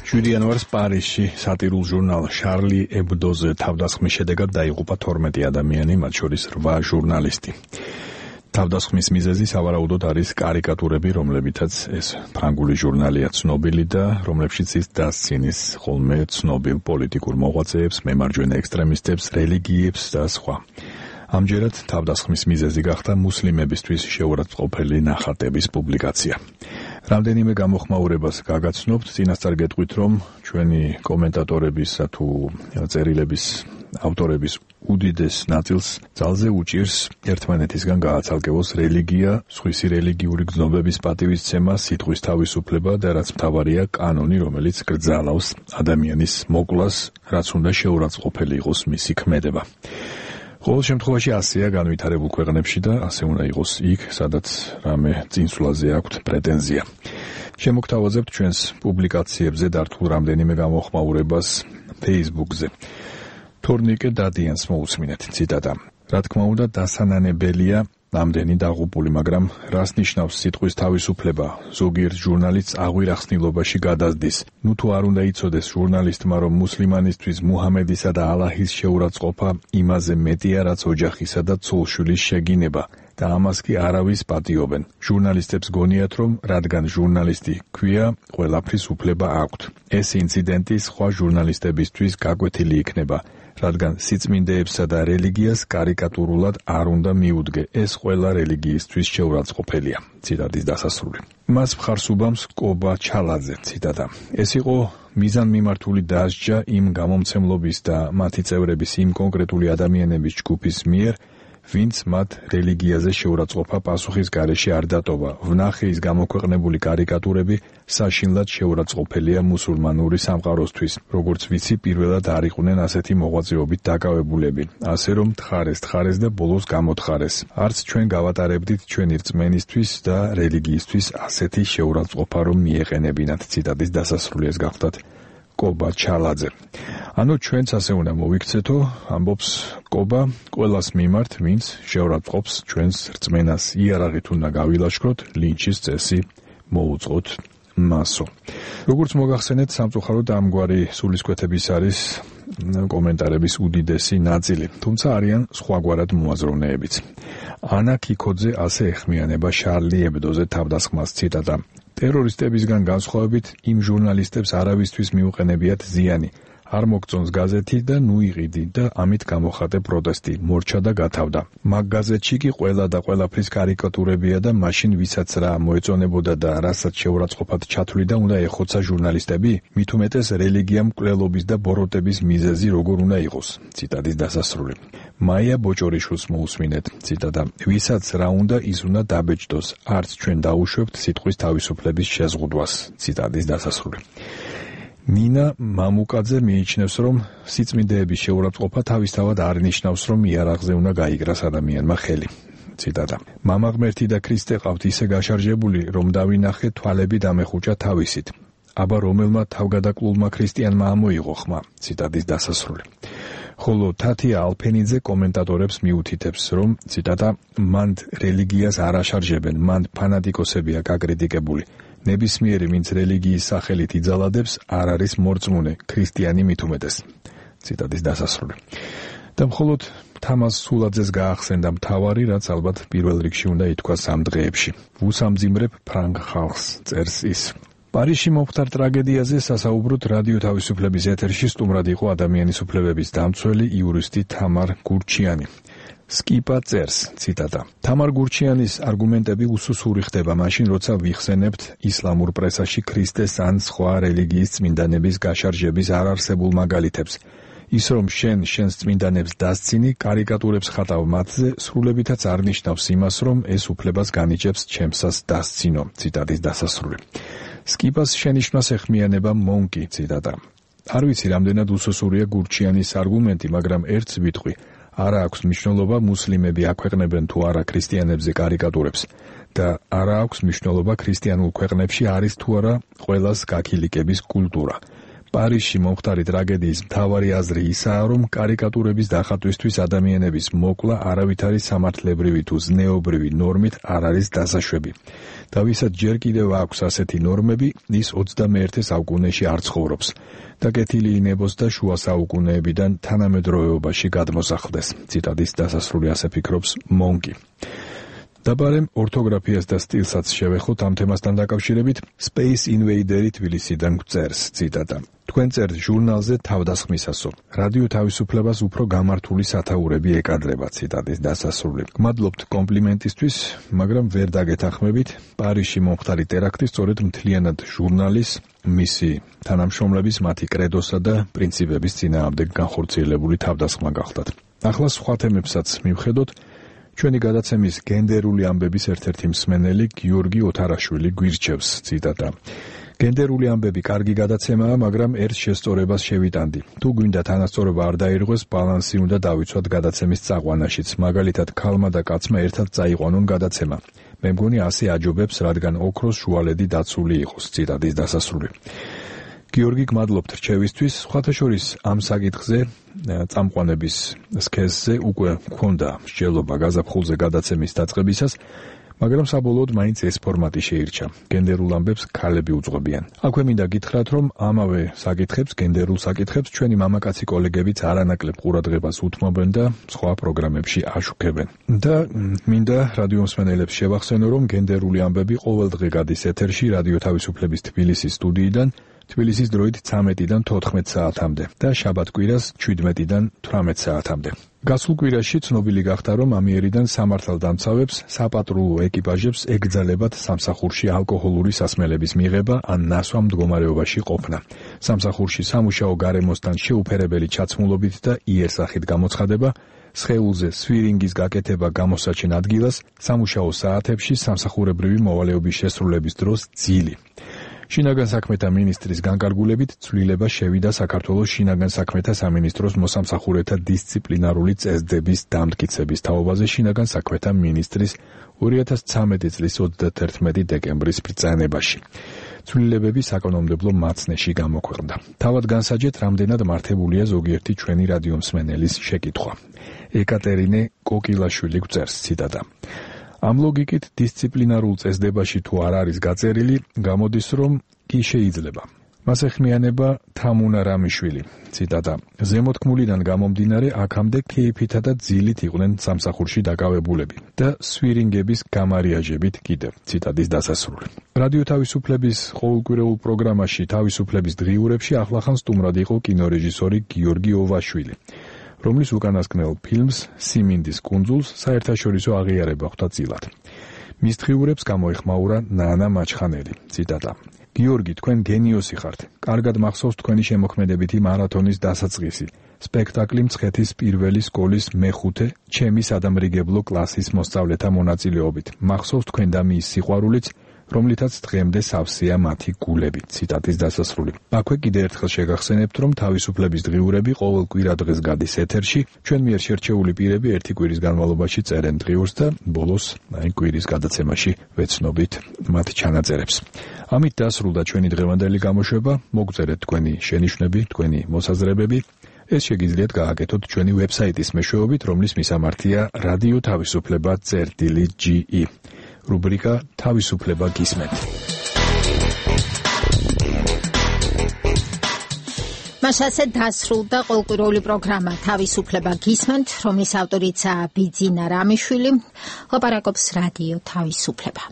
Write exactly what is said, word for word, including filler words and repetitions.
შვიდი იანვარს პარიზში სატირულ ჟურნალ შარლი ებდოზე თავდასხმის შედეგად დაიღუპა თორმეტი ადამიანი, მათ შორის რვა ჟურნალისტი. თავდასხმის მიზეზი სავარაუდოდ არის კარიკატურები, რომლებითაც ეს ფრანგული ჟურნალია ცნობილი და რომლებშიც ის დასცინის ხოლმე ცნობილ პოლიტიკურ მოღვაწეებს, მემარჯვენე ექსტრემისტებს, რელიგიებს და სხვა. ამჯერად თავდასხმის მიზეზი გახდა მუსლიმებისთვის შეურაცხყოფელი ნახატების პუბლიკაცია. რამდენიმე გამოხმაურებას გაგაცნობთ, წინასწარ გეტყვით, რომ ჩვენი კომენტატორების თუ წერილების ავტორების უდიდეს ნაწილს ძალზე უჭირს ერთმანეთისგან გააცალკევოს რელიგია, სხვისი რელიგიური გრძნობების პატივისცემა, სიტყვის თავისუფლება და რაც მთავარია კანონი, რომელიც გრძალავს ადამიანის მოკვლას, რაც უნდა შეურაცხყოფელი იყოს მისი ქმედება. ყოველ შემთხვევაში ასეა განვითარებულ ქვეყნებში და ასე უნდა იყოს იქ, სადაც რამე წინსვლაზე აქვთ პრეტენზია. შემოგთავაზებთ ჩვენს პუბლიკაციებზე დართულ რამდენიმე გამოხმაურებას Facebook-ზე. თორნიკე დადიანს მოусმინეთ ციტატა. რა თქმა უნდა, დასანანებელია ამდენი დაღუპული, მაგრამ რას ნიშნავს სიტყვის თავისუფლება? ზოგიერთ ჟურნალისტს აღვირახსნილობაში გადაზდის. ნუ თუ არ უნდა იცოდეს ჟურნალისტმა, რომ მუსლიმანისთვის მუჰამედისა და ალაჰის შეურაცხყოფა იმაზე მეტია, რაც ოჯახისა და ცოლ-შვილის შეგინება და ამას კი არავის პატიობენ. ჟურნალისტებს გონიათ, რომ რადგან ჟურნალისტი ქვია, ყველაფრის უფლება აქვთ. ეს ინციდენტი სხვა ჟურნალისტებისთვის გაკვეთილი იქნება, რადგან სიწმინდეებსა და რელიგიას კარიკატურულად არ უნდა მიუდგე. ეს ყველა რელიგიისთვის შეურაცხყოფელია. ციტატის დასასრული. მას მხარს უბამს კობა ჩალაძე, ციტატა. ეს იყო მიზანმიმართული დასჯა იმ გამომცემლობის და მათი წევრების იმ კონკრეტული ადამიანების ჯგუფის მიერ, ვინც მათ რელიგიაზე შეურაცხყოფა პასუხის გარეშე არ დატოვა. ვნახე ის გამოქვეყნებული კარიკატურები საშინლად შეურაცხყოფელია მუსულმანური სამყაროსთვის. როგორც ვიცი, პირველად არ იყვნენ ასეთი მოღვაწეობით დაკავებულები. ასე რომ თხარეს თხარეს და ბოლოს გამოთხარეს. არც ჩვენ გავატარებდით ჩვენი რწმენისთვის და რელიგიისთვის ასეთი შეურაცხყოფა რომ მიეყენებინათ. ციტატის დასასრული ეს გახლდათ კობა ჩალაძე. ანუ ჩვენც ასე უნდა მოვიქცეთო, ამბობს კობა, ყველას მიმართ, ვინც შეურაცხყოფს ჩვენს რწმენას. იარაღით უნდა გავილაშქროთ, ლინჩის წესი მოუწყოთ მასო. როგორც მოგახსენეთ, სამწუხაროდ ამგვარი სულისკვეთების არის კომენტარების უდიდესი ნაწილი, თუმცა არიან სხვაგვარად მოაზროვნეებიც. ანა კიკოძე ასე ეხმიანება შარლი ებდოზე თავდასხმას, ციტატა. ტერორისტებისგან განსხვავებით იმ ჟურნალისტებს არავისთვის მიუყენებიათ ზიანი. არ მოგწონს გაზეთი და ნუ იყიდი და ამით გამოხატე პროტესტი, მორჩა და გათავდა. მაგ გაზეთში კი ყველა და ყველაფრის კარიკატურებია და მაშინ ვისაც რა მოეწონებოდა და რასაც შეურაცხყოფად ჩათვლიდა უნდა ეხოცა ჟურნალისტები, მით უმეტეს რელიგია მკვლელობის და ბოროტების მიზეზი როგორ უნდა იყოს. ციტატის დასასრული. მაია ბოჭორიშვილს მოусმინეთ, ციტატა. ვისაც რა უნდა ის უნდა დაბეჭდოს, არც ჩვენ დაუშვებთ სიტყვის თავისუფლების შეზღუდვას. ციტატის დასასრული. ნინა მამუკაძე მიიჩნევს, რომ სიწმინდეების შეურაცხყოფა თავისთავად არ ნიშნავს, რომ იარაღზე უნდა გაიგრას ადამიანმა ხელი. ციტატა. მამა ღმერთი და ქრისტე ყავთ ისე გაშარჟებული, რომ დავინახე თვალები დამეხუჭა თავისით. აბა რომელმა თავგადაკლულმა ქრისტიანმა ამოიღო ხმა. ციტატის დასასრული. ხოლო თათია ალფენიძე კომენტატორებს მიუთითებს, რომ ციტატა მანდ რელიგიას არ აშარჟებენ, მანდ ფანატიკოსებია გაკრიტიკებული. ნებისმიერი, ვინც რელიგიის სახელით იძალადებს, არ არის მორწმუნე, ქრისტიანი მით უმეტეს. ციტატის დასასრული. და მხოლოდ თამაზ სულაძეს გაახსენდა მთავარი, რაც ალბათ პირველ რიგში უნდა ითქვას ამ დღეებში. ვუსამძიმრებ ფრანგ ხალხს, წერს ის. პარიზში მომხდარ ტრაგედიაზე სასაუბროთ რადიო თავისუფლების ეთერში სტუმრად იყო ადამიანის უფლებების დამცველი იურისტი თამარ გურჩიანი. სკიპა წერს, ციტატა. თამარ გურჩიანის არგუმენტები უსუსური ხდება მაშინ, როცა ვიხსენებთ ისლამურ პრესაში ქრისტეს ან სხვა რელიგიის წმინდანების გაშარჟების არარსებულ მაგალითებს. ის რომ შენ შენს წმინდანებს დასცინი, კარიკატურებს ხატავ მათზე, სრულებითაც არ ნიშნავს იმას, რომ ეს უფლებას განიჭებს ჩემსას დასცინო. ციტატის დასასრული. სკიპას შენიშვნას ეხმიანება მონკი, ციტატა. არ ვიცი რამდენად უსუსურია გურჩიანის არგუმენტი, მაგრამ ერთს ვიტყვი. არა აქვს მნიშვნელობა მუსლიმები აქვეყნებენ თუ არა ქრისტიანებზე კარიკატურებს და არა აქვს მნიშვნელობა ქრისტიანულ ქვეყნებში არის თუ არა ყველას გაქილიკების კულტურა. პარიზში მომხდარი ტრაგედიის მთავარი აზრი ისაა, რომ კარიკატურების დახატვისთვის ადამიანების მოკლა არავითარი სამართლებრივი თუ ზნეობრივი ნორმით არ არის დასაშვები. და ვისაც ჯერ კიდევ აქვს ასეთი ნორმები, ის ოცდამეერთე საუკუნეში არ ცხოვრობს და კეთილი ინებოს და შუა საუკუნეებიდან თანამედროვეობაში გადმოსახლდეს. ციტატის დასასრული ასე ფიქრობს მონკი. დაბარემ ორთოგრაფიას და სტილსაც შევეხოთ ამ თემასთან დაკავშირებით. Space Invader-ი თბილისიდან გვწერს, ციტატა. თქვენ წერთ ჟურნალზე თავდასხმისასო. რადიო თავისუფლებას უფრო გამართული სათაურები ეკადრება, ციტატის დასასრული. გმადლობთ კომპლიმენტისთვის, მაგრამ ვერ დაგეთანხმებით. პარიზში მომხდარი ტერაქტი სწორედ მთლიანად ჟურნალის, მისი თანამშრომლების, მათი კრედოსა და პრინციპების წინააღმდეგ განხორციელებული თავდასხმა გახდათ. ახლა სხვა თემებსაც მივხედოთ. ჩვენი გადაცემის გენდერული ამბების ერთ-ერთი მსმენელი გიორგი ოთარაშვილი გვირჩევს, ციტატა. გენდერული ამბები კარგი გადაცემაა, მაგრამ ერთ შესწორებას შევიტანდი. თუ გვინდა თანასწორობა არ დაირღვეს, ბალანსი უნდა დავიცვათ გადაცემის წაყვანაშიც. მაგალითად, ქალმა და კაცმა ერთად წაიყვანონ გადაცემა. მე მგონი ასე აჯობებს, რადგან ოქროს შუალედი დაცული იყოს, ციტატის დასასრული. გიორგი, გმადლობთ რჩევისთვის. სხვათა შორის ამ საკითხზე წამყვანების სქესზე უკვე მქონდა მსჯელობა გაზაფხულზე გადაცემის დაწყებისას, მაგრამ საბოლოოდ მაინც ეს ფორმატი შეირჩა. გენდერულ ამბებს ქალები უძღვებიან. აქვე მინდა გითხრათ, რომ ამავე საკითხებს, გენდერულ საკითხებს ჩვენი მამაკაცი კოლეგებიც არანაკლებ ყურადღებას უთმობენ და სხვა პროგრამებში აშუქებენ. და მინდა რადიო მსმენელებს შევახსენო, რომ გენდერული ამბები ყოველდღე გადის ეთერში რადიო თავისუფლების თბილისის სტუდიიდან, თბილისის დროით ცამეტიდან თოთხმეტ საათამდე და შაბათ-კვირას შვიდმეტიდან თვრამეტ საათამდე. გასულ კვირაში ცნობილი გახდა, რომ ამიერიდან სამართალდამცავებს, საპატრულო ეკიპაჟებს ეკრძალებათ სამსახურში ალკოჰოლური სასმელების მიღება ან ნასვა მდგომარეობაში ყოფნა. სამსახურში სამუშაო გარემოსთან შეუფერებელი ჩაცმულობით და იერსახით გამოცხადება, სხეულზე სვირინგის გაკეთება გამოსაჩენ ადგილას, სამუშაო საათებში სამსახურებრივი მოვალეობის შესრულების დროს ძილი. შინაგან საქმეთა მინისტრის განკარგულებით ცვლილება შევიდა საქართველოს შინაგან საქმეთა სამინისტროს მოსამსახურეთა დისციპლინარული წესდების დამტკიცების თაობაზე შინაგან საქმეთა მინისტრის ორი ათას ცამეტი წლის ოცდაათი დეკემბრის ბრძანებაში. ცვლილებები საკანონმდებლო მაცნეში გამოქვეყნდა. თავად განსაჯეთ, რამდენად მართებულია ზოგიერთი ჩვენი რადიო მსმენელის შეკითხვა. ეკატერინე კოკილაშვილი გვწერს, ციტატა. ამ ლოგიკით დისციპლინარულ წესდებაში თუ არ არის გაწერილი, გამოდის, რომ კი შეიძლება. მას ეხმიანება თამუნა რამიშვილი, ციტატა. ზემოთქმულიდან გამომდინარე, აქამდე ქეიფითა და ძილით იყვნენ სამსახურში დაკავებულები და სვირინგების გამარიაჟებით კიდევ, ციტატის დასასრული. რადიო თავისუფლების ყოველკვირეულ პროგრამაში თავისუფლების დღიურებში ახლახან სტუმრად იყო კინორეჟისორი გიორგი ოვაშვილი, რომლის უკანასკნელ ფილმს სიმინდის კუნძულს საერთაშორისო აღიარება ხვდა წილად. მის დღიურებს გამოეხმაურა ნანა მაჩხანელი, ციტატა. გიორგი, თქვენ გენიოსი ხართ. კარგად მახსოვს თქვენი შემოქმედებითი მარათონის დასაწყისი. სპექტაკლი მცხეთის პირველი სკოლის მეხუთე ჩემი სადამრიგებლო კლასის მოსწავლეთა მონაწილეობით. მახსოვს თქვენ და მის სიყვარულიც, რომლითაც დღემდე სავსეა მათი გულები, ციტატის დასასრული. აქვე კიდევ ერთხელ შეგახსენებთ, რომ თავისუფლების დღიურები ყოველ კვირა დღეს გადის ეთერში, ჩვენ მიერ შერჩეული პირები ერთი კვირის განმავლობაში წერენ დღიურს და ბოლოს აი კვირის გადაცემაში ვეცნობით მათ ჩანაწერებს. ამით დასრულდა ჩვენი დღევანდელი გამოშვება, მოგწერეთ თქვენი შენიშვნები, თქვენი მოსაზრებები. ეს შეგიძლიათ გააკეთოთ ჩვენი ვებსაიტის მეშვეობით, რომლის მისამართია რადიო თავისუფლება წერტილი ჯი ი. რუბრიკა თავისუფლება გისმენთ. მას ასე დასრულდა ყოველკვირეული პროგრამა თავისუფლება გისმენთ, რომლის ავტორიცაა ბიძინა რამიშვილი. ლაპარაკობს რადიო თავისუფლება.